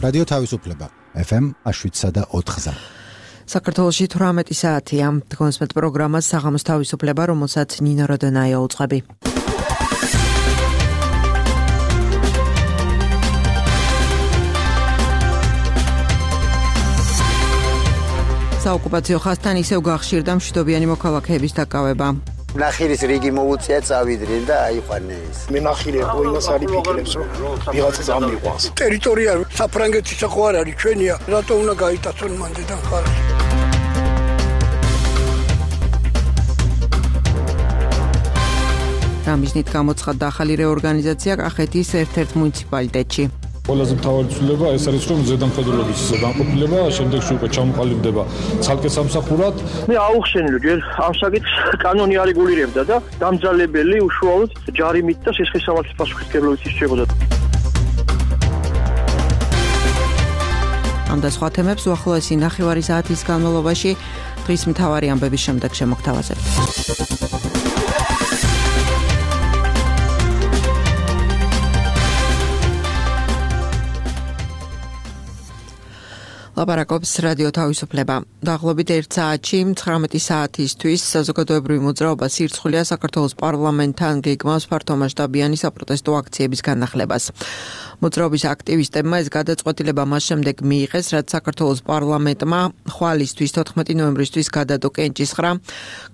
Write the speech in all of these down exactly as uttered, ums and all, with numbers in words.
რადიო თავისუფლება ეფ ემ შვიდსა და ოთხზე. საქართველოში თვრამეტი საათია. დგომსმეთ პროგრამას საღამოს თავისუფლება, რომელსაც ნინო როდონაია უწყები. საოკუპაციო ხაზთან ისევ გახშირდა მშვიდობიანი მოქალაქეების დაკავება. ნახირის რიგი მოუწია წავიდნენ და აიყვანეს. მე ნახირი ყველას არის ფიქრებს, რომ ვიღაცა წამიყვანს. ტერიტორია საფრანგეთის ხო არ არის ჩვენია, რატო უნდა გაიტაცონ მანდიდან ხარ? რამიზნით გამოცხადდა ახალი რეორგანიზაცია კახეთის ერთ-ერთ მუნიციპალიტეტში. ყველაზე მთავარი ცვლილება ეს არის, რომ ზედამხედველობის განყოფილება შემდეგში უკვე ჩამოყალიბდება ცალკე სამსახურად. მე აუხსენე, ჯერ ამ საკითხს კანონი არეგულირებდა და დამძალებელი უშუალოდ ჯარიმით და სისხლისამართლის პასუხისმგებლობით ისწრებოდა. ამ და სხვა თემებს უახლოესი ნახევარი საათის განმავლობაში დღის მთავარი ამბების შემდეგ შემოგთავაზებთ. ლაპარაკობს რადიო თავისუფლება. დაღლობით ერთ საათში ცხრამეტი საათისთვის საზოგადოებრივი მოძრაობა სირცხულია საქართველოს პარლამენტთან გეგმავს ფართომასშტაბიანი საპროტესტო აქციების განახლებას. მოძრაობის აქტივისტებმა ეს გადაწყვეტილება მას შემდეგ მიიღეს, რაც საქართველოს პარლამენტმა ხვალისთვის თოთხმეტი ნოემბრისთვის გადადო კენჭისყრა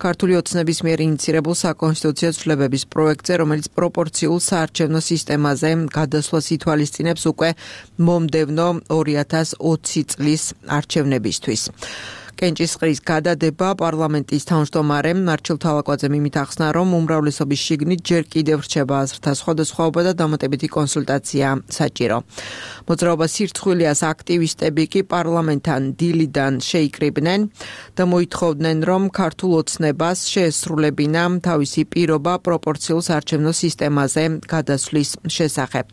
ქართული ოცნების მიერ ინიცირებულ საკონსტიტუციო ცვლილებების პროექტზე, რომელიც პროპორციულ საარჩევნო სისტემაზე გადასვლას ითვალისწინებს უკვე მომდევნო ორი ათას ოცი წლის არჩევნებისთვის. კენჭისყრის გადადება პარლამენტის თავმჯდომარემ მარჩილ თალაკვაძემ იმით ახსნა, რომ უმრავლესობის შიგნით ჯერ კიდევ რჩება აზრთა სხვადასხვაობა და დამატებითი კონსულტაცია საჭირო. მოძრაობა სირცხვილიას აქტივისტები კი პარლამენტთან დილიდან შეიკრიბნენ და მოითხოვდნენ, რომ ქართულ ოცნებას შეესრულებინა თავისი პირობა პროპორციულ საარჩევნო სისტემაზე გადასვლის შესახებ.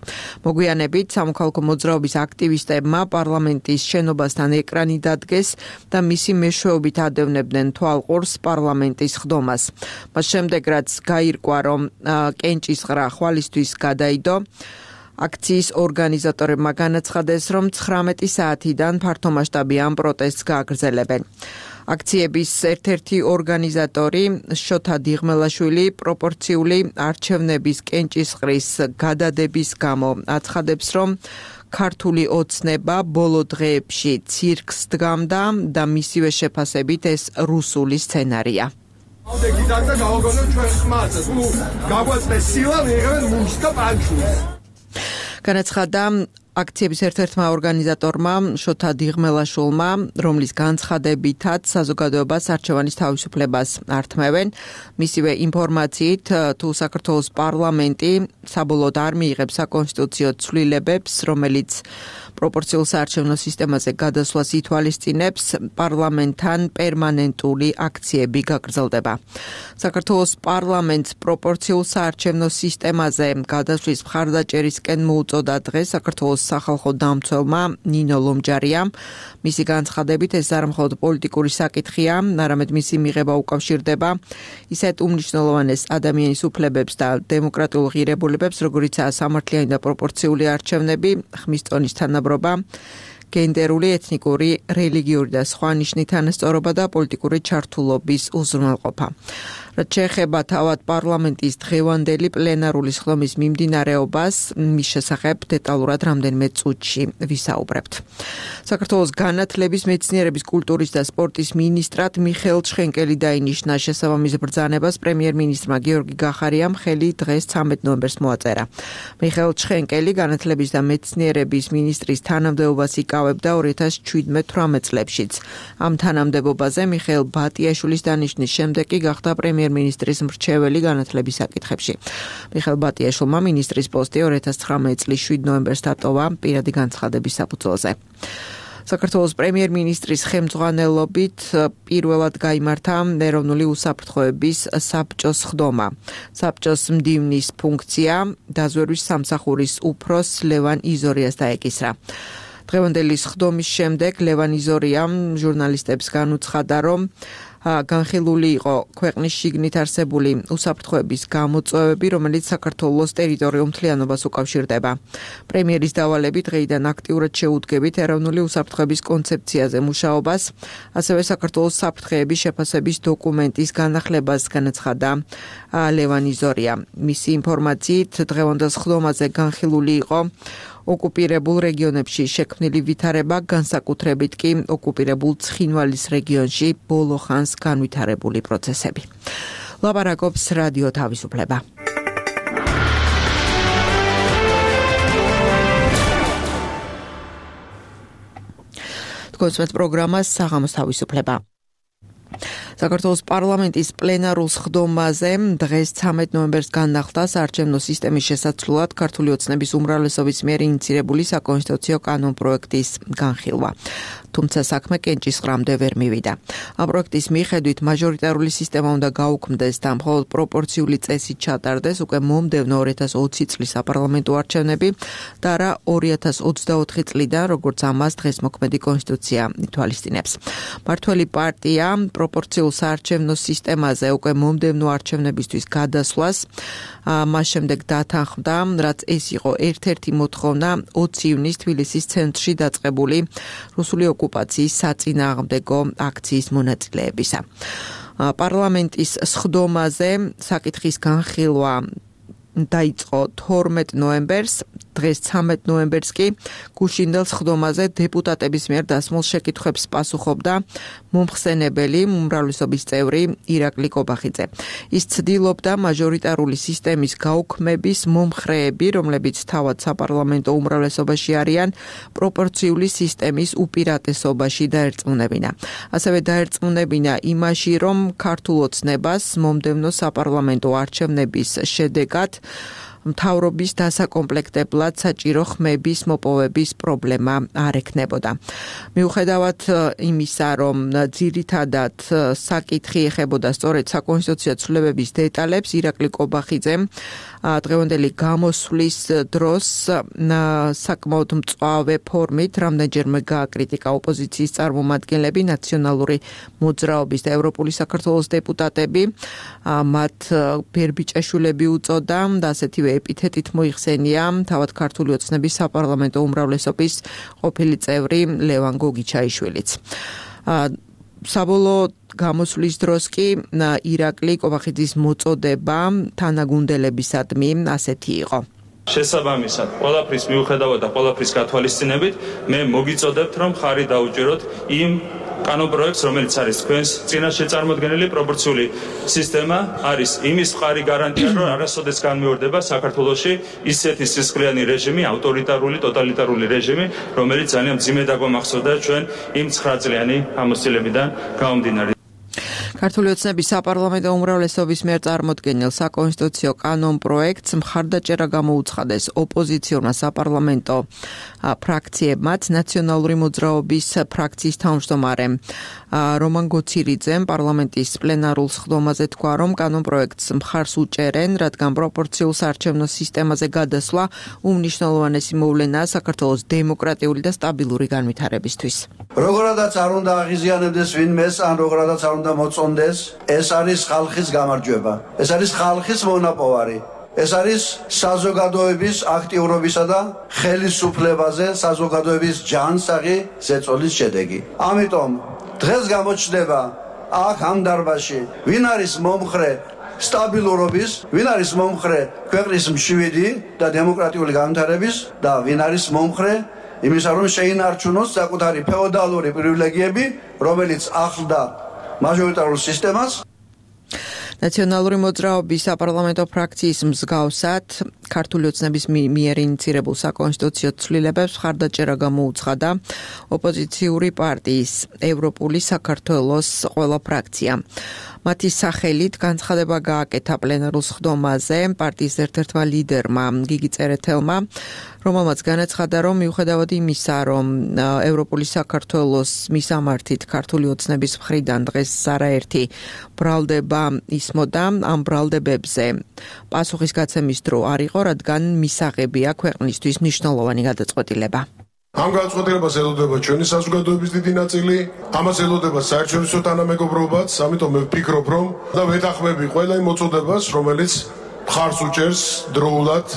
მოგვიანებით სამოქალაქო მოძრაობის აქტივისტებმა პარლამენტის შენობასთან ეკრანი დადგეს და მისი მეშვეობით ადევნებდნენ თვალყურს პარლამენტის ხდომას. მას შემდეგ, რაც გაირკვა, რომ კენჭისყრა ხვალისთვის გადაიდო, აქციის ორგანიზატორებმა განაცხადეს, რომ ცხრამეტი საათიდან ფართომასშტაბიან პროტესტს გააგრძელებენ. აქციების ერთ-ერთი ორგანიზატორი შოთა დიღმელაშვილი პროპორციული არჩევნების კენჭისყრის გადადების გამო აცხადებს, რომ ქართული ოცნება ბოლო დღეებში ცირკს დგამდა და მისივე შეფასებით ეს რუსული სცენარია. განაცხადა აქციების ერთ-ერთმა ორგანიზატორმა შოთა დიღმელაშვილმა, რომლის განცხადებითაც საზოგადოებას არჩევანის თავისუფლებას ართმევენ. მისივე ინფორმაციით, თუ საქართველოს პარლამენტი საბოლოოდ არ მიიღებს საკონსტიტუციო ცვლილებებს, რომელიც პროპორციულ საარჩევნო სისტემაზე გადასვლას ითვალისწინებს, პარლამენტთან პერმანენტული აქციები გაგრძელდება. საქართველოს პარლამენტს პროპორციულ საარჩევნო სისტემაზე გადასვლის მხარდაჭერისკენ მოუწოდა დღეს საქართველოს სახალხო დამცველმა ნინო ლომჯარიამ. მისი განცხადებით, ეს არ მხოლოდ პოლიტიკური საკითხია, არამედ მისი მიღება უკავშირდება ისეთ უმნიშვნელოვანეს ადამიანის უფლებებს და დემოკრატიულ ღირებულებებს, როგორიცაა სამართლიანი და პროპორციული არჩევნები, ხმის ტონის თანაბრობა, გენდერული, ეთნიკური, რელიგიური და სხვა ნიშნით თანასწორობა და პოლიტიკური ჩართულობის უზრუნველყოფა. რაც შეეხება თავად პარლამენტის დღევანდელი პლენარული სხდომის მიმდინარეობას, მის შესახებ დეტალურად რამდენიმე წუთში ვისაუბრებთ. საქართველოს განათლების, მეცნიერების, კულტურის და სპორტის მინისტრად მიხეილ ჩხენკელი დაინიშნა. შესაბამის ბრძანებას პრემიერ-მინისტრმა გიორგი გახარიამ ხელი დღეს ცამეტ ნოემბერს მოაწერა. მიხეილ ჩხენკელი განათლების და მეცნიერების მინისტრის თანამდებობას იკავებდა ორი ათას შვიდმეტ-თვრამეტ წლებშიც. ამ თანამდებობაზე მიხეილ ბატიაშვილის დანიშვნის შემდეგ კი გახდა პრემიერ მინისტრის მრჩეველი განათლების საკითხებში. მიხეილ ბატიაშვილმა მინისტრის პოსტი ორი ათას ცხრამეტ წლის შვიდ ნოემბერს დატოვა პირადი განცხადების საფუძველზე. საქართველოს პრემიერ-მინისტრის ხელმძღვანელობით პირველად გაიმართა ეროვნული უსაფრთხოების საბჭოს ხდომა. საბჭოს მდივნის ფუნქცია დაზვერვის სამსახურის უფროს ლევან იზორიას დაეკისრა. დღევანდელი ხდომის შემდეგ ლევან იზორიამ ჟურნალისტებს განუცხადა, რომ განხილული იყო ქვეყნის შიგნით არსებული უსაფრთხოების გამოწვევები, რომელიც საქართველოს ტერიტორიულ მთლიანობას უკავშირდება. პრემიერის დავალებით დღეიდან აქტიურად შეუდგებით ეროვნული უსაფრთხოების კონცეფციაზე მუშაობას, ასევე საქართველოს საფრთხეების შეფასების დოკუმენტის განახლებას განაცხადა ლევან იზორია. მისი ინფორმაციით დღევანდელ სხდომაზე განხილული იყო ოკუპირებულ რეგიონებში შექმნილი ვითარება, განსაკუთრებით კი ოკუპირებულ ცხინვალის რეგიონში ბოლო ხანს განვითარებული პროცესები. ლაპარაკობს რადიო თავისუფლება. თქვენს პროგრამას საღამოს თავისუფლება. საქართველოს პარლამენტის პლენარულ სხდომაზე დღეს ცამეტ ნოემბერს განახლდა საარჩევნო სისტემის შესაცვლელად ქართული ოცნების უმრავლესობის მიერ ინიცირებული საკონსტიტუციო კანონპროექტის განხილვა. თუმცა საქმე კენჭისყრამდე ვერ მივიდა. ამ პროექტის მიხედვით მაჟორიტარული სისტემა უნდა გაუქმდეს და მხოლოდ პროპორციული წესით ჩატარდეს უკვე მომდევნო ორი ათას ოცი წლის საპარლამენტო არჩევნები და არა ორი ათას ოცდაოთხი წლიდან, როგორც ამას დღეს მოქმედი კონსტიტუცია ითვალისწინებს. მართველი პარტია პროპორციულ საარჩევნო სისტემაზე უკვე მომდევნო არჩევნებისთვის გადასვლას მას შემდეგ დათანხმდა, რაც ეს იყო ერთ-ერთი მოთხოვნა ოცი ივნის თბილისის ცენტრში დაწყებული რუსული ოკუპაციის საწინააღმდეგო აქციის მონაწილეებისა. პარლამენტის სხდომაზე საკითხის განხილვა დაიწყო თორმეტ ნოემბერს, დღეს ცამეტ ნოემბერს კი გუშინდელ სხდომაზე დეპუტატების მიერ დასმულ შეკითხვებს პასუხობდა მომხსენებელი უმრავლესობის წევრი ირაკლი კობახიძე. ის ცდილობდა მაჟორიტარული სისტემის გაუქმების მომხრეები, რომლებიც თავად საპარლამენტო უმრავლესობაში არიან, პროპორციული სისტემის უპირატესობაში დაერწმუნებინა. ასევე დაერწმუნებინა იმაში, რომ ქართულ ოცნებას მომდევნო საპარლამენტო არჩევნების შედეგად მთავრობის დასაკომპლექტებლად საჭირო ხმების მოპოვების პრობლემა არ ექნებოდა. მიუხედავად იმისა, რომ ძირითადად საკითხი ეხებოდა სწორედ საკონსტიტუციო ცვლილებების დეტალებს, ირაკლი კობახიძემ დღევანდელი გამოსვლის დროს საკმაოდ მწვავე ფორმით რამდენჯერმე გააკრიტიკა ოპოზიციის წარმომადგენლები, ნაციონალური მოძრაობის და ევროპული საქართველოს დეპუტატები, მათ ბერბიჭაშვილები უწოდა და ასეთივე ეპითეტით მოიხსენია თავად ქართული ოცნების საპარლამენტო უმრავლესობის ყოფილი წევრი ლევან გოგიჩაიშვილიც. საბოლოო გამოსვლის დროს კი ირაკლი კობახიძის მოწოდება თანაგუნდელებისადმი ასეთი იყო. შესაბამისად, ყველაფრის მიუხედავად და ყველაფრის გათვალისწინებით, მე მოგიწოდებთ, რომ ხარი დაუჭიროთ იმ კანონპროექტს, რომელიც არის თქვენს წინაშე წარმოდგენილი პროპორციული სისტემა, არის იმის მხარი გარანტია, რომ არასოდეს განმეორდება საქართველოში ისეთი სისხლიანი რეჟიმი, ავტორიტარული, ტოტალიტარული რეჟიმი, რომელიც ძალიან მძიმე დაგვამახსოვდა ჩვენ იმ ცხრა წლიანი ამოსილებიდან გამომდინარე. ქართული ოცნების საპარლამენტო უმრავლესობის მიერ წარმოდგენილ საკონსტიტუციო კანონპროექტს მხარდაჭერა გამოუცხადეს ოპოზიციურმა საპარლამენტო ფრაქციებმაც, ნაციონალური მოძრაობის ფრაქციის თავმჯდომარემ რომან გოცირიძემ პარლამენტის პლენარულ სხდომაზე თქვა, რომ კანონპროექტს მხარს უჭერენ, რადგან პროპორციულ საარჩევნო სისტემაზე გადასვლა უმნიშვნელოვანესი მოვლენაა საქართველოს დემოკრატიული და სტაბილური განვითარებისთვის. Როგორადაც არ უნდა აღიზიანებდეს ვინმეს, ან როგორადაც არ უნდა მოწონდეს, ეს არის ხალხის გამარჯვება. ეს არის ხალხის მონაპოვარი. ეს არის საზოგადოების აქტიურობისა და ხელისუფლებაზე საზოგადოების ჯანსაღი ზეწოლის შედეგი. ამიტომ დღეს გამოჩნდება აქ ამ დარბაზში, ვინ არის მომხრე სტაბილურობის, ვინ არის მომხრე ქვეყნის მშვიდი და დემოკრატიული განვითარების და ვინ არის მომხრე იმისა, რომ შეინარჩუნოს საკუთარი ფეოდალური პრივილეგიები, რომელიც ახლდა მაჟორიტარულ სისტემას. ნაციონალური მოძრაობის საპარლამენტო ფრაქციის მსგავსად ქართული ოცნების მიერ ინიცირებულ საკონსტიტუციო ცვლილებებს მხარდაჭერა გამოუცხადა ოპოზიციური პარტიის ევროპული საქართველოს ყველა ფრაქცია. მათი სახელით განცხადება გააკეთა პლენარულ სხდომაზე პარტიის ერთ-ერთმა ლიდერმა გიგი წერეთელმა, რომელმაც განაცხადა, რომ მიუხედავად იმისა, რომ ევროპული საქართველოს მისამართით ქართული ოცნების მხრიდან დღეს არაერთი ბრალდება ისმოდა, ამ ბრალდებებზე პასუხის გაცემის დრო არ იყო, რადგან მისაღებია ქვეყნისთვის მნიშვნელოვანი გადაწყვეტილება. ამ განცხადებას ელოდება ჩვენი საზოგადოების დიდი ნაწილი, ამას ელოდება საერთაშორისო თანამეგობრობაც, ამიტომ მე ვფიქრობ, რომ და ვეთანხმები ყველა იმ მოწოდებას, რომელიც მხარს უჭერს დროულად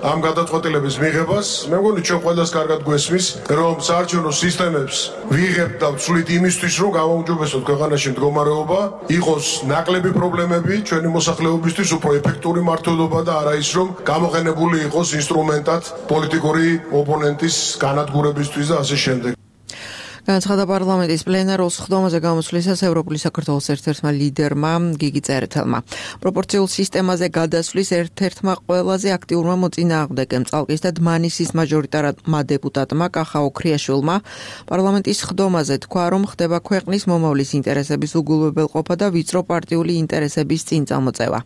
ამ გადაწყვეტილების მიღებას. მე მგონი ჩვენ ყველას კარგად გვესმის, რომ საარჩევნო სისტემებს ვიღებთ და ვცვლით იმისთვის, რომ გავაუმჯობესოთ ქვეყანაში მდგომარეობა, იყოს ნაკლები პრობლემები ჩვენი მოსახლეობისთვის, უფრო ეფექტური მმართველობა და არა ის, რომ გამოყენებული იყოს ინსტრუმენტად პოლიტიკური ოპონენტის განადგურებისთვის და ასე შემდეგ. განაცხადა პარლამენტის პლენარულ სხდომაზე გამოსვლისას ევროპული საქართველოს ერთ-ერთმა ლიდერმა გიგი წერეთელმა. პროპორციულ სისტემაზე გადასვლის ერთ-ერთმა ყველაზე აქტიურმა მოწინააღმდეგემ წალკის და დმანისის მაჟორიტარმა დეპუტატმა კახა ოქრიაშვილმა პარლამენტის სხდომაზე თქვა, რომ ხდება ქვეყნის მომავლის ინტერესების უგულებელყოფა და ვიწრო პარტიული ინტერესების წინწამოწევა.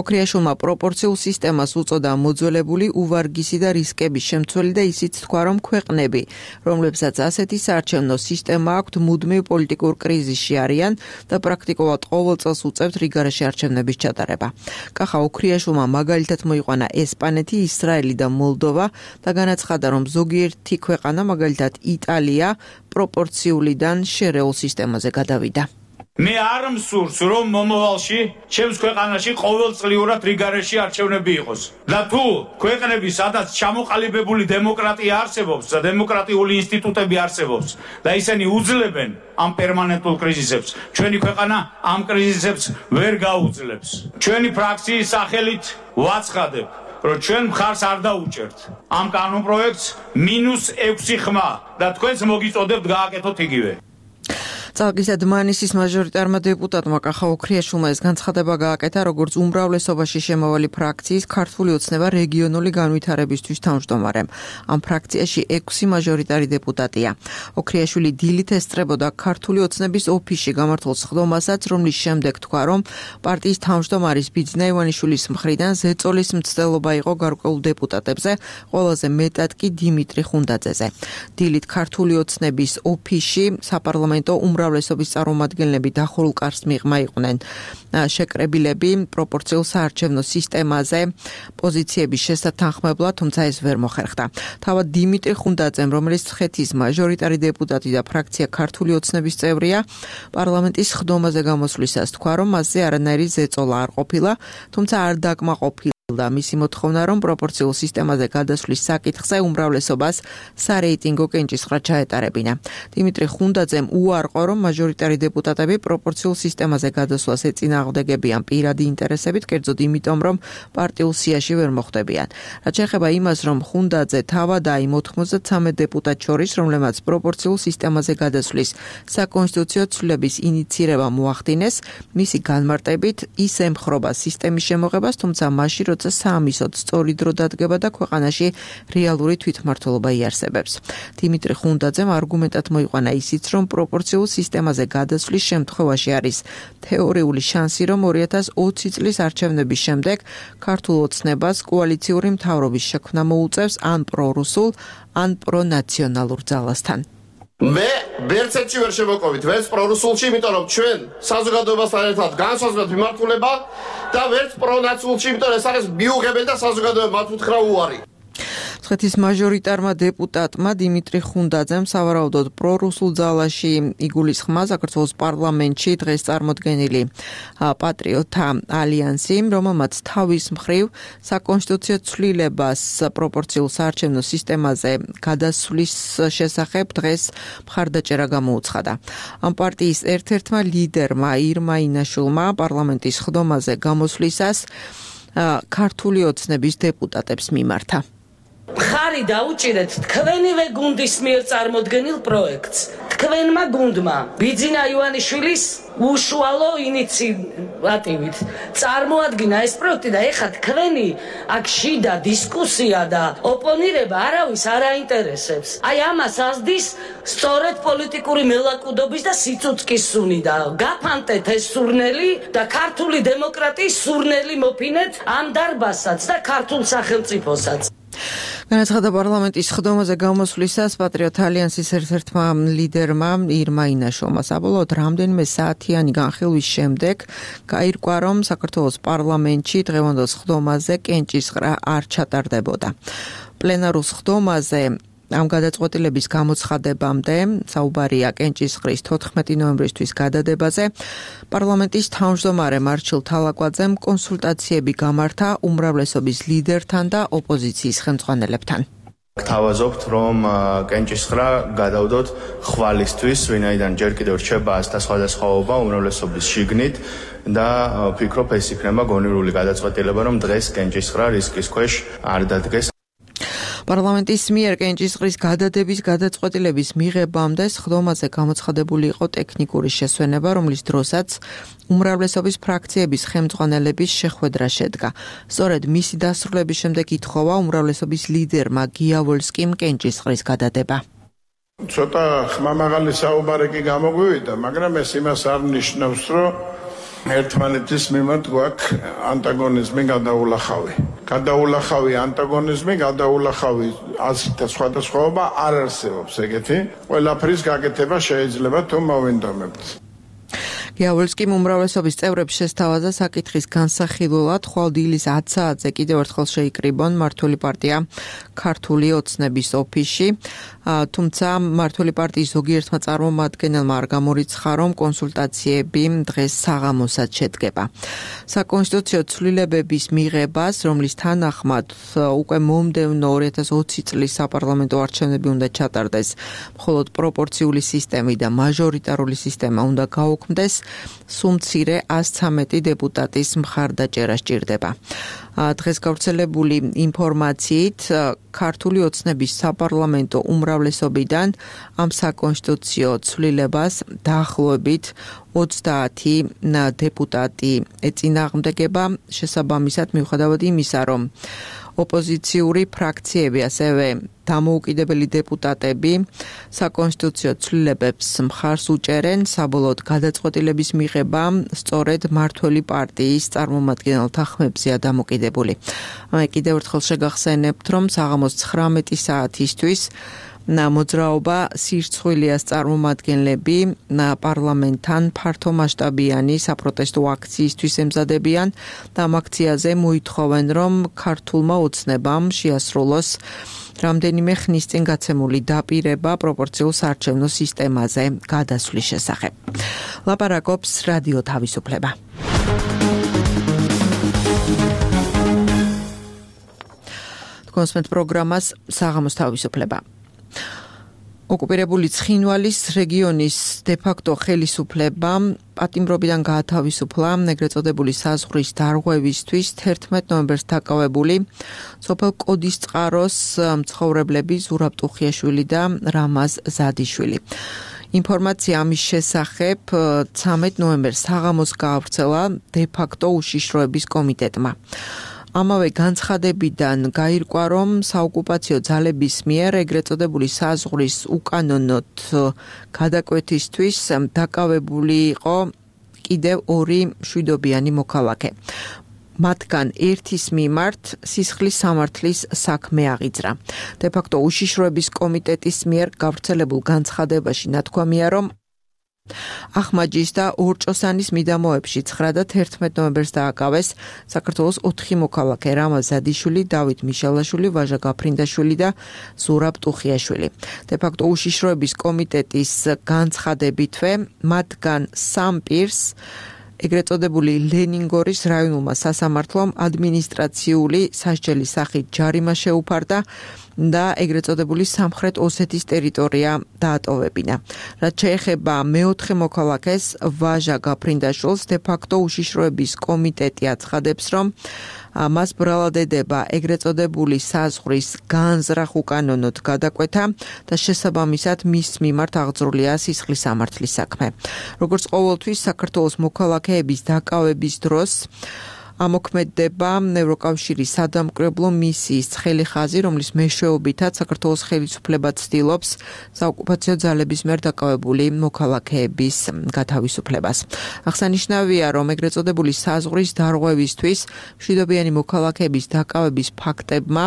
ოქრიაშვილმა პროპორციულ სისტემას უწოდა მოძველებული, უვარგისი და რისკების შემცველი და ისიც თქვა, რომ ქვეყნები, რომლებსაც ასეთი საარჩევნო სისტემა აქვთ მუდმივ პოლიტიკურ კრიზისში არიან და პრაქტიკულად ყოველ წელს უწევთ რიგარეში არჩევნების ჩატარება. კახა ოქრიაშვილმა მაგალითად მოიყვანა ესპანეთი, ისრაელი და მოლდოვა და განაცხადა, რომ ზოგიერთი ქვეყანა, მაგალითად იტალია, პროპორციულიდან შერეულ სისტემაზე გადავიდა. მე არ მსურს, რომ მომავალში ჩემს ქვეყანაში ყოველწლიურად რიგარეში არჩევნები იყოს. და თუ ქვეყნები, სადაც ჩამოყალიბებული დემოკრატია არსებობს და დემოკრატიული ინსტიტუტები არსებობს და ისინი უძლებენ ამ პერმანენტულ კრიზისებს, ჩვენი ქვეყანა ამ კრიზისებს ვერ გაუძლებს. ჩვენი ფრაქციის სახელით ვაცხადებ, რომ ჩვენ მხარს არ დაუჭერთ ამ კანონპროექტს მინუს ექვსი ხმა და თქვენს მოგიწოდებთ გააკეთოთ იგივე. წალკის და დმანისის მაჟორიტარმა დეპუტატმა კახა ოქრიაშვილმა ეს განცხადება გააკეთა, როგორც უმრავლესობაში შემავალი ფრაქციის ქართული ოცნება რეგიონული განვითარებისთვის თავმჯდომარემ. ამ ფრაქციაში ექვსი მაჟორიტარი დეპუტატია. ოქრიაშვილი დილით ესწრებოდა ქართული ოცნების ოფისში გამართულ სხდომასაც, რომლის შემდეგ თქვა, რომ პარტიის თავმჯდომარის ბიძინა ივანიშვილის მხრიდან ზეწოლის მცდელობა იყო გარკვეულ დეპუტატებზე, ყველაზე მეტად კი დიმიტრი ხუნდაძეზე. დილით ქართული ოცნების ოფისში საპარლამენტო უმრავლესობის წარმომადგენლები დახურულ კარს მიღმა იყვნენ. შეკრებილები პროპორციულ საარჩევნო სისტემაზე პოზიციების შესათანხმებლად, თუმცა ეს ვერ მოხერხდა. თავად დიმიტრი ხუნდაძემ, რომელიც მცხეთის მაჟორიტარი დეპუტატი და ფრაქცია ქართული ოცნების წევრია, პარლამენტის სხდომაზე გამოსვლისას თქვა, რომ მასზე არანაირი ზეწოლა არ ყოფილა, თუმცა არ დაკმაყოფილდა და მისი მოთხოვნა, რომ პროპორციულ სისტემაზე გადასვლის საკითხზე უმრავლესობას სარეიტინგო კენჭისყრა ჩაეტარებინა. დიმიტრი ხუნდაძემ უარყო, რომ მაჟორიტარი დეპუტატები პროპორციულ სისტემაზე გადასვლას ეწინააღმდეგებიან პირადი ინტერესებით, კერძოდ იმიტომ, რომ პარტიულ სიაში ვერ მოხვდებიან. რაც შეეხება იმას, რომ ხუნდაძე თავად აი ოთხმოცდათსამი დეპუტატ შორის, რომლებმაც პროპორციულ სისტემაზე გადასვლის საკონსტიტუციო ცვლილების ინიცირება მოახდინეს, მისი განმარტებით ის ემხრობა სისტემის შემოღებას, თუმცა მაშინ როცა საამისოდ სწორი დრო დადგება და ქვეყანაში რეალური თვითმმართველობა იარსებებს. დიმიტრი ხუნდაძემ არგუმენტად მოიყვანა ისიც, რომ პროპორციულ სისტემაზე გადასვლის შემთხვევაში არის თეორიული შანსი, რომ ორი ათას ოცი წლის არჩევნების შემდეგ ქართულ ოცნებას კოალიციური მთავრობის შექმნა მოუწევს ან პრორუსულ, ან პრონაციონალურ ძალასთან. მე ბერცეთში ვერ შემოყვით, ვერც პრორუსულში, იმიტომ რომ ჩვენ საზოგადოებასთან ერთად განსაზღვრეთ მიმართულება და ვერც პრონაციონალში, იმიტომ რომ ეს არის მიუღებელი და საზოგადოება მათ უთხრა უარი. მცხეთის მაჟორიტარმა დეპუტატმა დიმიტრი ხუნდაძემ სავარაუდოდ პრორუსულ ძალაში იგულისხმა საქართველოს პარლამენტში დღეს წარმოდგენილი პატრიოტთა ალიანსი, რომელმაც თავის მხრივ საკონსტიტუციო ცვლილებას პროპორციულ საარჩევნო სისტემაზე გადასვლის შესახებ დღეს მხარდაჭერა გამოუცხადა. ამ პარტიის ერთ-ერთმა ლიდერმა ირმა ინაშვილმა პარლამენტის სხდომაზე გამოსვლისას ქართული ოცნების დეპუტატებს მიმართა. ხარი დაუჭირეთ თქვენივე გუნდის მიერ წარმოდგენილ პროექტს. თქვენმა გუნდმა ბიძინა ივანიშვილის უშუალო ინიციატივით წარმოადგინა ეს პროექტი და ეხლა თქვენი აქ შიდა დისკუსია და ოპონირება არავის არ აინტერესებს. აი ამას ასდის სწორედ პოლიტიკური მელაკუდობის და სიცოცხლის სუნი და გაფანტეთ ეს სურნელი და ქართული დემოკრატიის სურნელი მოფინეთ ამ დარბაზსაც და ქართულ სახელმწიფოსაც. განაცხადა პარლამენტის სხდომაზე გამოსვლისას პატრიოტთა ალიანსის ერთ-ერთმა ლიდერმა ირმა ინაშვილმა. საბოლოოდ რამდენიმე საათიანი განხილვის შემდეგ გაირკვა, რომ საქართველოს პარლამენტში დღევანდელ სხდომაზე კენჭისყრა არ ჩატარდებოდა. პლენარულ სხდომაზე ამ გადაწყვეტილების გამოცხადებამდე საუბარია კენჭისყრის თოთხმეტი ნოემბრისთვის გადადებაზე. პარლამენტის თავმჯდომარე მარჩილ თალაკვაძემ კონსულტაციები გამართა უმრავლესობის ლიდერთან და ოპოზიციის ხელმძღვანელებთან. გთავაზობთ, რომ კენჭისყრა გადავდოთ ხვალისთვის, ვინაიდან ჯერ კიდევ რჩება ასთა სხვადასხვაობა უმრავლესობის შიგნით და ვფიქრობ, ეს იქნება გონივრული გადაწყვეტილება, რომ დღეს კენჭისყრა რისკის ქვეშ არ დადგეს. პარლამენტის მიერ კენჭისყრის გადადების გადაწყვეტილების მიღებამდე სხდომაზე გამოცხადებული იყო ტექნიკური შესვენება, რომლის დროსაც უმრავლესობის ფრაქციების ხელმძღვანელების შეხვედრა შედგა. სწორედ მისი დასრულების შემდეგ ითხოვა უმრავლესობის ლიდერმა გიავოლსკიმ კენჭისყრის გადადება. ცოტა ხმამაღალი საუბარი კი გამოგვივიდა, მაგრამ ეს იმას არ ნიშნავს, რომ ერთმანეთის მიმართ გვაქვს ანტაგონიზმი გადაულახავი. გადაულახავი ანტაგონიზმი, გადაულახავი აზრთა სხვადასხვაობა არ არსებობს ეგეთი. ყველაფრის გაკეთება შეიძლება თუ მოვინდომებთ. გიავოლსკიმ უმრავლესობის წევრებს შესთავაზა საკითხის განსახილველად ხვალ დილის ათ საათზე კიდევ ერთხელ შეიკრიბონ მმართველი პარტია ქართული ოცნების ოფისში, თუმცა მმართველი პარტიის ზოგიერთმა წარმომადგენელმა არ გამორიცხა, რომ კონსულტაციები დღეს საღამოსაც შედგება. საკონსტიტუციო ცვლილებების მიღებას, რომლის თანახმად უკვე მომდევნო ორი ათას ოცი წლის საპარლამენტო არჩევნები უნდა ჩატარდეს, მხოლოდ პროპორციული სისტემი და მაჟორიტარული სისტემა უნდა გაუქმდეს, სუმცირე ას ცამეტი დეპუტატის მხარდაჭერა სჭირდება. დღეს გავრცელებული ინფორმაციით ქართული ოცნების საპარლამენტო უმრავლესობიდან ამ საკონსტიტუციო ცვლილებას დაახლოებით ოცდაათი დეპუტატი ეწინააღმდეგება, შესაბამისად მიუხედავად იმისა, რომ ოპოზიციური ფრაქციები, ასევე დამოუკიდებელი დეპუტატები საკონსტიტუციო ცვლილებებს მხარს უჭერენ, საბოლოოდ გადაწყვეტილების მიღება სწორედ მმართველი პარტიის წარმომადგენელთა ხმებზეა დამოკიდებული. კიდევ ერთხელ შეგახსენებთ, რომ საღამოს ცხრამეტი საათისთვის მოძრაობა სირცხვილიას წარმომადგენლები პარლამენტთან ფართომასშტაბიანი საპროტესტო აქციისთვის ემზადებიან და ამ აქციაზე მოითხოვენ, რომ ქართულმა ოცნებამ შეასრულოს რამდენიმე ხნის წინ გაცემული დაპირება პროპორციულ საარჩევნო სისტემაზე გადასვლის შესახებ. ლაპარაკობს რადიო თავისუფლება. კონსმეთ პროგრამას საღამოს თავისუფლება. ოკუპირებული ცხინვალის რეგიონის დე-ფაქტო ხელისუფლება პატიმრობიდან გაათავისუფლა ეგრეთ წოდებული საზღვრის დარღვევისთვის თერთმეტ ნოემბერს დაკავებული სოფელ კოდისწყაროს მცხოვრებლები ზურაბ ტუხიაშვილი და რამაზ ზადიშვილი. ინფორმაცია ამის შესახებ ცამეტ ნოემბერს საღამოს გაავრცელა დე-ფაქტო უშიშროების კომიტეტმა. ამავე განცხადებიდან გაირკვა, რომ საოკუპაციო ძალების მიერ ეგრეთ წოდებული საზღვრის უკანონოდ გადაკვეთისთვის დაკავებული იყო კიდევ ორი მშვიდობიანი მოქალაქე. მათგან ერთის მიმართ სისხლის სამართლის საქმე აღიძრა. დე-ფაქტო უშიშროების კომიტეტის მიერ გავრცელებულ განცხადებაში ნათქვამია, რომ ახმაჯის და ორჭოსანის მიდამოებში ცხრა და თერთმეტ ნოემბერს დააკავეს საქართველოს ოთხი მოქალაქე რამაზ ზადიშვილი, დავით მიშალაშვილი, ვაჟა გაფრინდაშვილი და ზურაბ ტუხიაშვილი. დე-ფაქტო უშიშროების კომიტეტის განცხადებითვე მათგან სამ პირს ეგრეთ წოდებული ლენინგორის რაიონულმა სასამართლომ ადმინისტრაციული სასჯელის სახით ჯარიმა შეუფარდა და ეგრეთ წოდებული სამხრეთ ოსეთის ტერიტორია დაატოვებინა. რაც შეეხება მეოთხე მოქალაქეს ვაჟა გაფრინდაშვილს, დე-ფაქტო უშიშროების კომიტეტი აცხადებს, რომ მას ბრალადედება ეგრეთ წოდებული საზღვრის განზრახ უკანონოდ გადაკვეთა და შესაბამისად მის მიმართ აღძრულია სისხლის სამართლის საქმე. როგორც ყოველთვის საქართველოს მოქალაქეების დაკავების დროს ამოქმედდება ევროკავშირის სადამკვირვებლო მისიის ცხელი ხაზი, რომლის მეშვეობითაც საქართველოს ხელისუფლება ცდილობს საოკუპაციო ძალების მიერ დაკავებული მოქალაქეების გათავისუფლებას. აღსანიშნავია, რომ ეგრეთ წოდებული საზღვრის დარღვევისთვის მშვიდობიანი მოქალაქეების დაკავების ფაქტებმა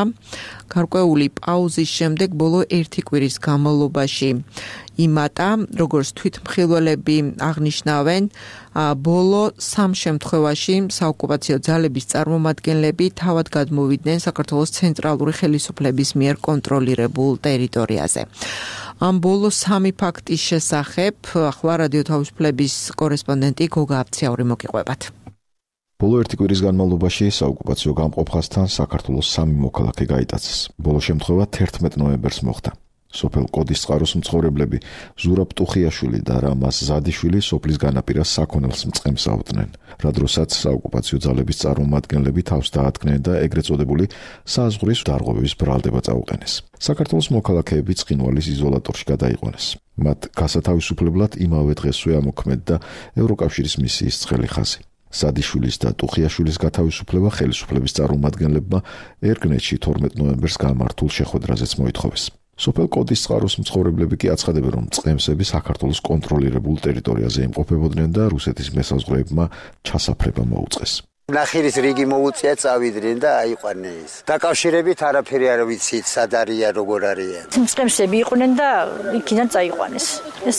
გარკვეული პაუზის შემდეგ ბოლო ერთი კვირის განმავლობაში იმატა, როგორც თვითმხილველები აღნიშნავენ, ბოლო სამ შემთხვევაში საოკუპაციო ძალების წარმომადგენლები თავად გადმოვიდნენ საქართველოს ცენტრალური ხელისუფლების მიერ კონტროლირებულ ტერიტორიაზე. ამ ბოლო სამი ფაქტის შესახებ ახლა რადიო თავისუფლების კორესპონდენტი გოგა აბცაური მოგიყვებათ. ბოლო ერთი კვირის განმავლობაში საოკუპაციო გამყოფხასთან საქართველოს სამი მოქალაქე გაიტაცეს. ბოლო შემთხვევა თერთმეტ ნოემბერს მოხდა. სოფელ კოდისწყაროს მცხოვრებლები ზურაბ ტუხიაშვილი და რამაზ ზადიშვილი სოფლის განაპირას საქონელს მწყემს აუდნენ, რა დროსაც საოკუპაციო ძალების წარმომადგენლები თავს დაადგნენ და ეგრეთ წოდებული საზღვრის დარღვევის ბრალდება წაუყენეს. საქართველოს მოქალაქეები ცხინვალის იზოლატორში გადაიყვანეს. მათ გასათავისუფლებლად იმავე დღესვე ამოქმედდა ევროკავშირის მისიის ცხელი ხაზი. ზადიშვილის და ტუხიაშვილის გათავისუფლება ხელისუფლების წარმომადგენლებმა ერგნეთში თორმეტ ნოემბერს გამართულ შეხვედრაზეც მოითხოვეს. სოფელ კოდისწყაროს მცხოვრებლები კი აცხადებენ, რომ წყემსები საქართველოს კონტროლირებულ ტერიტორიაზე იმყოფებოდნენ და რუსეთის მესაზღვრეებმა ჩასაფრება მოუწყეს. ნახირის რიგი მოუწია წავიდნენ და აიყვანე ის. დაკავშირებით არაფერი არ ვიცით, სად არიან, როგორ არიან. წყემსები იყვნენ და იქიდან წაიყვანეს.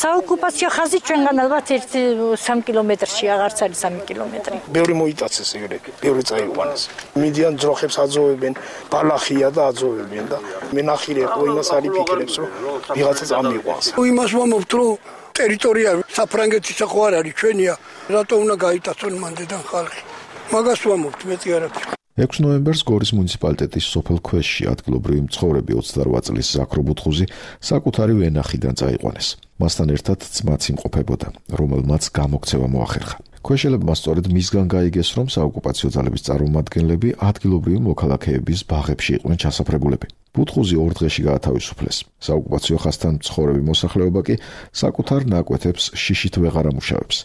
საოკუპაციო ხაზი ჩვენგან ალბათ ერთი სამი კილომეტრში აღარც არის სამი კილომეტრი. ბევრი მოიტაცეს ეგრე, ბევრი წაიყვანეს. მიდიან ძროხებს აძოვებენ, ბალახია და აძოვებენ და მე ნახირი ხო იმას არ იფიქრებს, რომ ვიღაცა წამიყვანს. იმას მომობთ, რომ ტერიტორია საფრანგეთის ხო არ არის ჩვენია, რატო უნდა გაიტაცონ მანდედან ხალხი? მაგას ვამობთ, მეტი არ აქვს. ექვსი ნოემბერს გორის მუნიციპალიტეტის სოფელ ქვეშში ადგილობრივი მცხოვრები ოცდარვა წლის ზაქრო ბუთხუზი საკუთარი ვენახიდან წაიყვანეს. მასთან ერთად ძმაც იმყოფებოდა, რომელმაც გამოქცევა მოახერხა. ქვეშელებმა სწორედ მისგან გაიგეს, რომ საოკუპაციო ძალების წარმომადგენლები ადგილობრივი მოქალაქეების ბაღებში იყვნენ ჩასაფრებულები. ბუთხუზი ორ დღეში გაათავისუფლეს. საოკუპაციო ხაზთან მცხოვრები მოსახლეობა კი საკუთარ ნაკვეთებს შიშით ვეღარ ამუშავებს,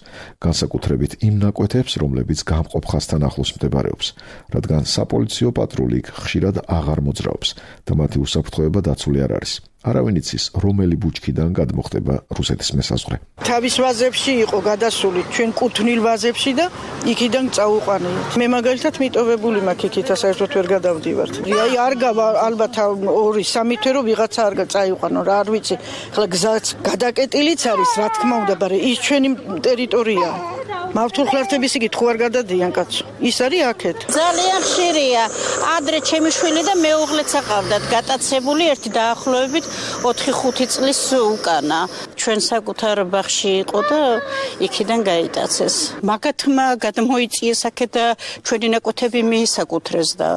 განსაკუთრებით იმ ნაკვეთებს, რომლებიც გამყოფ ხაზთან ახლოს მდებარეობს, რადგან საპოლიციო პატრული ხშირად აღარ მოძრაობს და მათი უსაფრთხოება დაცული არ არის. არავინ იცის, რომელი ბუჩქიდან გადმოხდება რუსეთის მესაზღვრე. თავის ვაზებში იყო გადასული ჩვენ კუთვნილ ვაზებში და იქიდან წაუყვანილ. მე მაგალითად მიტოვებული მაქვს იქითა საერთოდ ვერ გადავდივართ. აი არ გავა ალბათ ორი სამი თვე რომ ვიღაცა არ წაიყვანო რა არ ვიცი. ხლა გზაც გადაკეტილიც არის, რა თქმა უნდა, მაგრამ ის ჩვენი ტერიტორიაა. მართულ ხლართების იგი თუ არ გადადიან კაცო. ის არის აქეთ. ძალიან ხშირია. ადრე ჩემი შვილი და მეუღლეც აყავდათ გატაცებული ერთი დაახლოებით ოთხი ხუთი წლის უკანა. ჩვენ საკუთარ ბაღში იყო და იქიდან გაიტაცეს. მაგათმა გადმოიწიეს აქეთ და ჩვენი ნაკვეთები მიისაკუთრეს და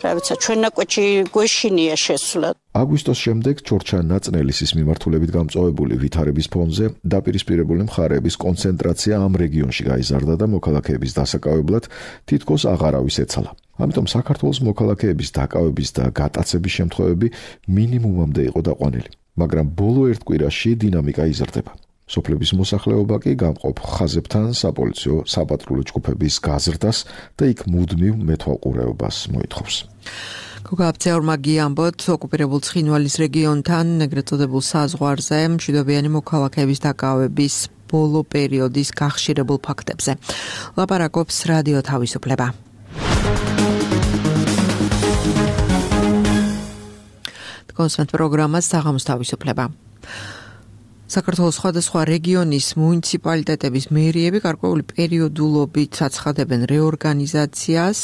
რა ვიცი, ჩვენ ნაკვეთში გვეშინია შესვლა. აგვისტოს შემდეგ ჩორჩან ნაწნელისის მიმართულებით გამწვავებული ვითარების ფონზე დაპირისპირებული მხარეების კონცენტრაცია ამ რეგიონში გაიზარდა და მოქალაქეების დასაკავებლად თითქოს აღარავის ეცალა. ამიტომ საქართველოს მოქალაქეების დაკავების და გატაცების შემთხვევები მინიმუმამდე იყო დაყვანილი, მაგრამ ბოლო ერთ კვირაში დინამიკა იზრდება. სოფლების მოსახლეობა კი გამყოფ ხაზებთან საპოლიციო საპატრულო ჯგუფების გაზრდას და იქ მუდმივ მეთვალყურეობას მოითხოვს. გოგა აბცაურმა გიამბოთ, ოკუპირებულ ცხინვალის რეგიონთან ეგრეთ წოდებულ საზღვარზე მშვიდობიანი მოქალაქეების დაკავების ბოლო პერიოდის გახშირებულ ფაქტებზე. ლაპარაკობს რადიო თავისუფლება. კონსვენტ პროგრამას საღამოს თავისუფლება. საქართველოს სხვადასხვა რეგიონის მუნიციპალიტეტების მერიები გარკვეული პერიოდულობით აცხადებენ რეორგანიზაციას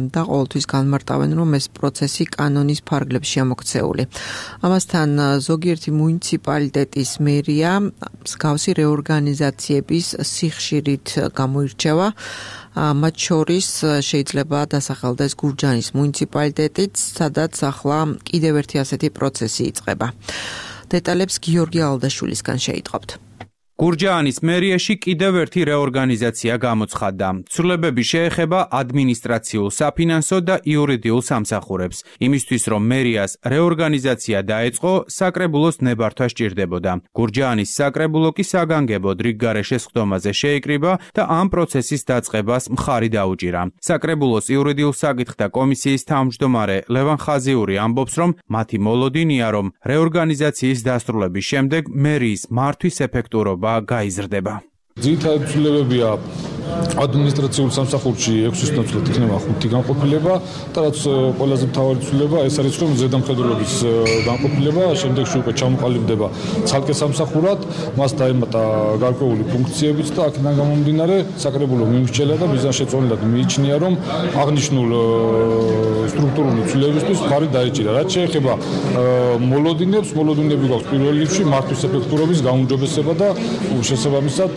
და ყოველთვის განმარტავენ, რომ ეს პროცესი კანონის ფარგლებში ამოქცეული. ამასთან ზოგიერთი მუნიციპალიტეტის მერია მსგავსი რეორგანიზაციების სიხშირით გამოირჩევა. მათ შორის შეიძლება დასახელდეს გურჯაანის მუნიციპალიტეტიც, სადაც ახლა კიდევ ერთი ასეთი პროცესი იწყება. დეტალებს გიორგი ალდაშვილისგან შეიტყობთ. გურჯაანის მერიაში კიდევ ერთი რეორგანიზაცია გამოცხადდა. ცვლილებები შეეხება ადმინისტრაციულ, საფინანსო და იურიდიულ სამსახურებს. იმისთვის, რომ მერიას რეორგანიზაცია დაეწყო, საკრებულოს ნებართვა სჭირდებოდა. გურჯაანის საკრებულო კი საგანგებოდ რიგ გარეშე სხდომაზე შეიკრიბა და ამ პროცესის დაწყებას მხარი დაუჭირა. საკრებულოს იურიდიულ საკითხთა კომისიის თავმჯდომარე ლევან ხაზიური ამბობს, რომ მათი მოლოდინია, რომ რეორგანიზაციის დასრულების შემდეგ მერიის მართვის ეფექტურობა გაიზრდება. ძირითადი ცვლილებებია ადმინისტრაციულ სამსახურში ექვსის ნაცვლად იქნება ხუთი განყოფილება და რაც ყველაზე მთავარი ცვლილება ეს არის რომ ზედამხედველობის განყოფილება შემდეგში უკვე ჩამოყალიბდება ცალკე სამსახურად, მას დაემატა გარკვეული ფუნქციებიც და აქედან გამომდინარე საკრებულო მიმსჯელდა და მიზანშეწონილად მიიჩნია რომ აღნიშნულ სტრუქტურული ცვლილებისთვის ხარი დაეჭირა. რაც შეეხება მოლოდინებს, მოლოდინები გვაქვს პირველ რიგში მართვის ეფექტურობის გაუმჯობესება და შესაბამისად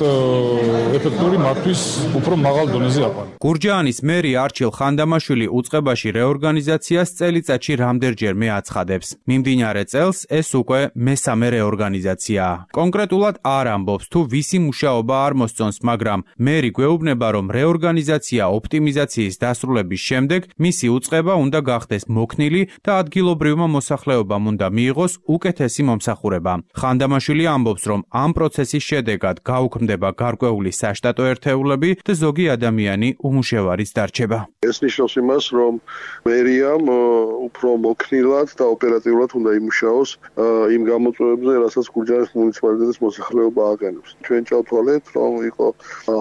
ეფექტური მართვის უფრო მაღალ დონეზე აყვანა. გურჯაანის მერი არჩილ ხანდამაშვილი უწყებაში რეორგანიზაციას წელიწადში რამდენჯერმე აცხადებს. მიმდინარე წელს ეს უკვე მესამე რეორგანიზაციაა. კონკრეტულად არ ამბობს თუ ვისი მუშაობა არ მოსწონს, მაგრამ მერი გვეუბნება რომ რეორგანიზაცია ოპტიმიზაციის დასრულების შემდეგ მისი უწყება უნდა გახდეს მოქნილი და ადგილობრივმა მოსახლეობამ უნდა მიიღოს უკეთესი მომსახურება. ხანდამაშვილი ამბობს რომ ამ პროცესის შედეგად გაუქმდება გარკვეული საშტატო ერთეულები და ზოგი ადამიანი უმუშევარიც დარჩება. ეს ნიშნავს იმას, რომ მერიამ უფრო მოქნილად და ოპერატიულად უნდა იმუშაოს იმ გამოწვევებზე, რასაც გურჯაანის მუნიციპალიტეტის მოსახლეობა აყენებს. ჩვენ ჩავთვალეთ, რომ იყო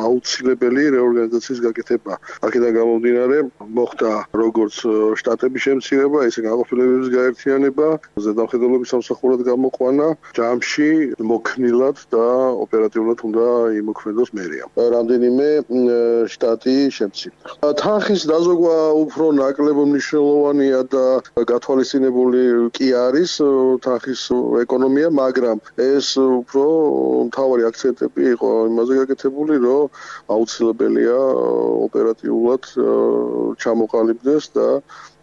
აუცილებელი რეორგანიზაციის გაკეთება. აქედან გამომდინარე, მოხდა როგორც შტატების შემცირება, ისე განყოფილებების გაერთიანება, ზედამხედველობის სამსახურად გამოყვანა, ჯამში მოქნილად და ოპერატიულად უნდა იმოქმედოს მერიამ. რამდენიმე შტატი შემცირდა. თანხის დაზოგვა უფრო ნაკლებად მნიშვნელოვანია და გათვალისწინებული კი არის თანხის ეკონომია, მაგრამ ეს უფრო მთავარი აქცენტები იყო იმაზე გაკეთებული, რომ აუცილებელია ოპერატიულად ჩამოყალიბდეს და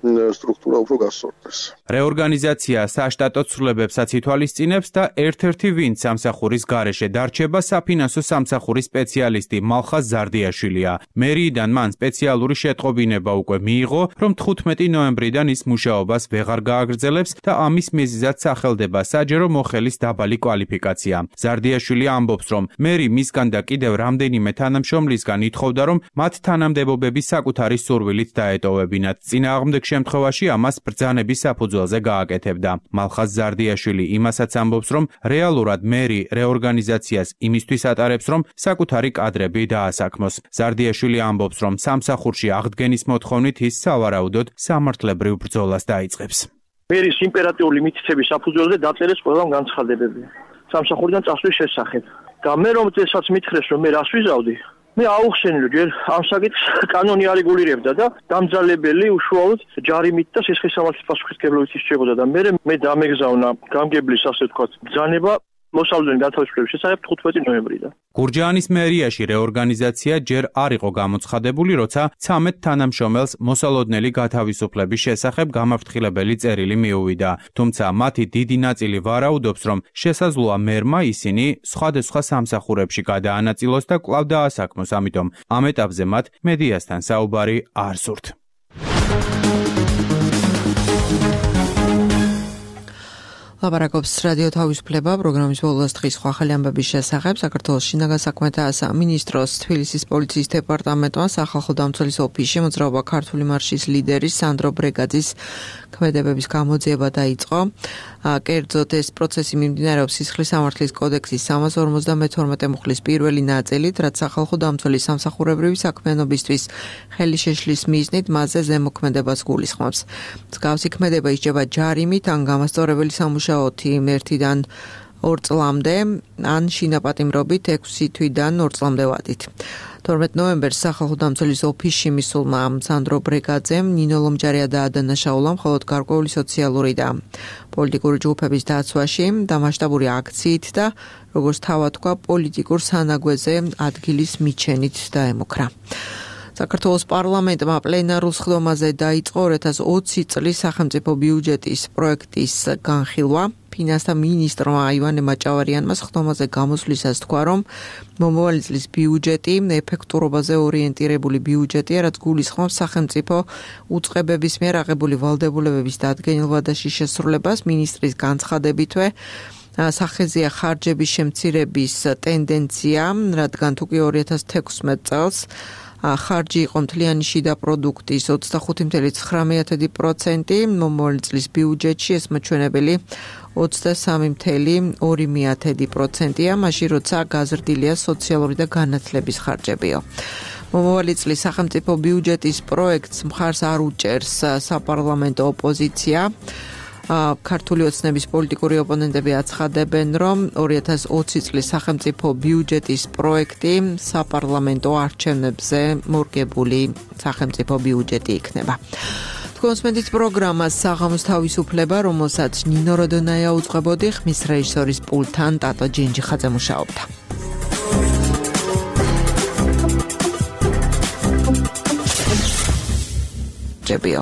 სტრუქტურა უფრო გასწორდეს. რეორგანიზაცია საშტატო ცვლილებებსაც ითვალისწინებს და ერთ-ერთი ვინც სამსახურის გარეშე დარჩება საფინანსო სამსახურის სპეციალისტი მალხაზ ზარდიაშვილია. მერიიდან მან სპეციალური შეტყობინება უკვე მიიღო, რომ თხუთმეტი ნოემბრიდან ის მუშაობას ვეღარ გააგრძელებს და ამის მიზეზად სახელდება საჯარო მოხელის დაბალი კვალიფიკაცია. ზარდიაშვილი ამბობს, რომ მერი მისგან და კიდევ რამდენიმე თანამშრომლისგან ითხოვდა, რომ მათ თანამდებობები საკუთარი სურვილით დაეტოვებინათ. წინააღმდეგ შემთხვევაში ამას ბრძანების საფუძველზე გააკეთებდა. მალხაზ ზარდიაშვილი იმასაც ამბობს, რომ რეალურად მერი რეორგანიზაციას იმისთვის ატარებს, რომ საკუთარი კადრები დაასაქმოს. ზარდიაშვილი ამბობს, რომ სამსახურში აღდგენის მოთხოვნით ის სავარაუდოდ სამართლებრივ ბრძოლას დაიწყებს. მერის იმპერატიული მითითების საფუძველზე დაწერეს ყველამ განცხადებები სამსახურიდან წასვლის შესახებ. და მე რომ წესაც მითხრეს, რომ მე რას ვიზავდი, მე აუხსენილ ჯერ ამ საკითხს კანონი არ რეგულირებდა და დამძალებელი უშუალოდ ჯარიმით და სისხლისამართლის პასუხისმგებლობით ისწრებოდა და მე მე დამეგზავნა გამგებლის ასე ვთქვათ ბრძანება მოსავლიანი განთავისუფლების შესახებ თხუთმეტი ნოემბრიდან. გურჯაანის მერიაში რეორგანიზაცია ჯერ არ იყო გამოცხადებული, როცა ცამეტ თანამშრომელს მოსალოდნელი გათავისუფლების შესახებ გამაფრთხილებელი წერილი მიუვიდა. თუმცა მათი დიდი ნაწილი ვარაუდობს, რომ შესაძლოა მერმა ისინი სხვადასხვა სამსახურებში გადაანაწილოს და კვლავ დაასაქმოს, ამიტომ ამ ეტაპზე მათ მედიასთან საუბარი არ სურთ. ლაპარაკობს რადიო თავისუფლება პროგრამის ბოლოს დღის ახალი ამბების შესახებ. საქართველოს შინაგან საქმეთა სამინისტროს თბილისის პოლიციის დეპარტამენტმა სახალხო დამცველის ოფისში მოძრაობა ქართული მარშის ლიდერის სანდრო ბრეგაძის ქმედებების გამოძიება დაიწყო. კერძოდ ეს პროცესი მიმდინარეობს სისხლისამართლის კოდექსის სამას ორმოცდამეთორმეტე მუხლის პირველი ნაწილით, რაც სახალხო დამცველის სამსახურებრივი საქმიანობისთვის ხელი შეშლის მიზნით მასზე ზემოქმედებას გულისხმობს. მსგავსი ქმედება ისჯება ჯარიმით ან გამასწორებელი სამუშაოთი ერთიდან ორ წლამდე, ან შინაპატიმრობით ექვსი თვიდან ორ წლამდე ვადით. თორმეტ ნოემბერს სახალხო დამცველის ოფისში მისულმა სანდრო ბრეგაძემ ნინო ლომჯარია დაადანაშაულა მხოლოდ გარკვეული სოციალური და პოლიტიკური ჯგუფების დაცვაში და მასშტაბური აქციით და როგორც თავად თქვა პოლიტიკურ სანაგვეზე ადგილის მიჩენით დაემუქრა. საქართველოს პარლამენტმა პლენარულ სხდომაზე დაიწყო ორი ათას ოცი წლის სახელმწიფო ბიუჯეტის პროექტის განხილვა. ფინანსთა მინისტრმა ივანე მაჭავარიანმა სხდომაზე გამოსვლისას თქვა, რომ მომავალი წლის ბიუჯეტი ეფექტურობაზე ორიენტირებული ბიუჯეტია, რაც გულისხმობს სახელმწიფო უწყებების მიერ აღებული ვალდებულებების დადგენილ და შესრულებას. მინისტრის განცხადებითვე სახეზეა ხარჯების შემცირების ტენდენცია, რადგან თუკი ორი ათას თექვსმეტ წელს ხარჯი იყო მთლიანი შიდა პროდუქტის ოცდახუთი წუთი ცხრამეტ პროცენტი, მომავალი წლის ბიუჯეტში ეს მოჩვენებელი ოცდასამი წუთი ორი პროცენტია, მაშინ როცა გაზრდილია სოციალური და განათლების ხარჯებიო. მომავალი წლის სახელმწიფო ბიუჯეტის პროექტს მხარს არ უჭერს საპარლამენტო ოპოზიცია. ქართული ოცნების პოლიტიკური ოპონენტები აცხადებენ, რომ ორი ათას ოცი წლის სახელმწიფო ბიუჯეტის პროექტი საპარლამენტო არჩევნებზე მორგებული სახელმწიფო ბიუჯეტი იქნება. კონსმენდის პროგრამას საღამოს თავისუფლება, რომელსაც ნინო როდონაია უძღვებოდი, ხმის რეჟისორის პულტთან ტატო ჯინჯიხაძე მუშაობდა. ჯებიო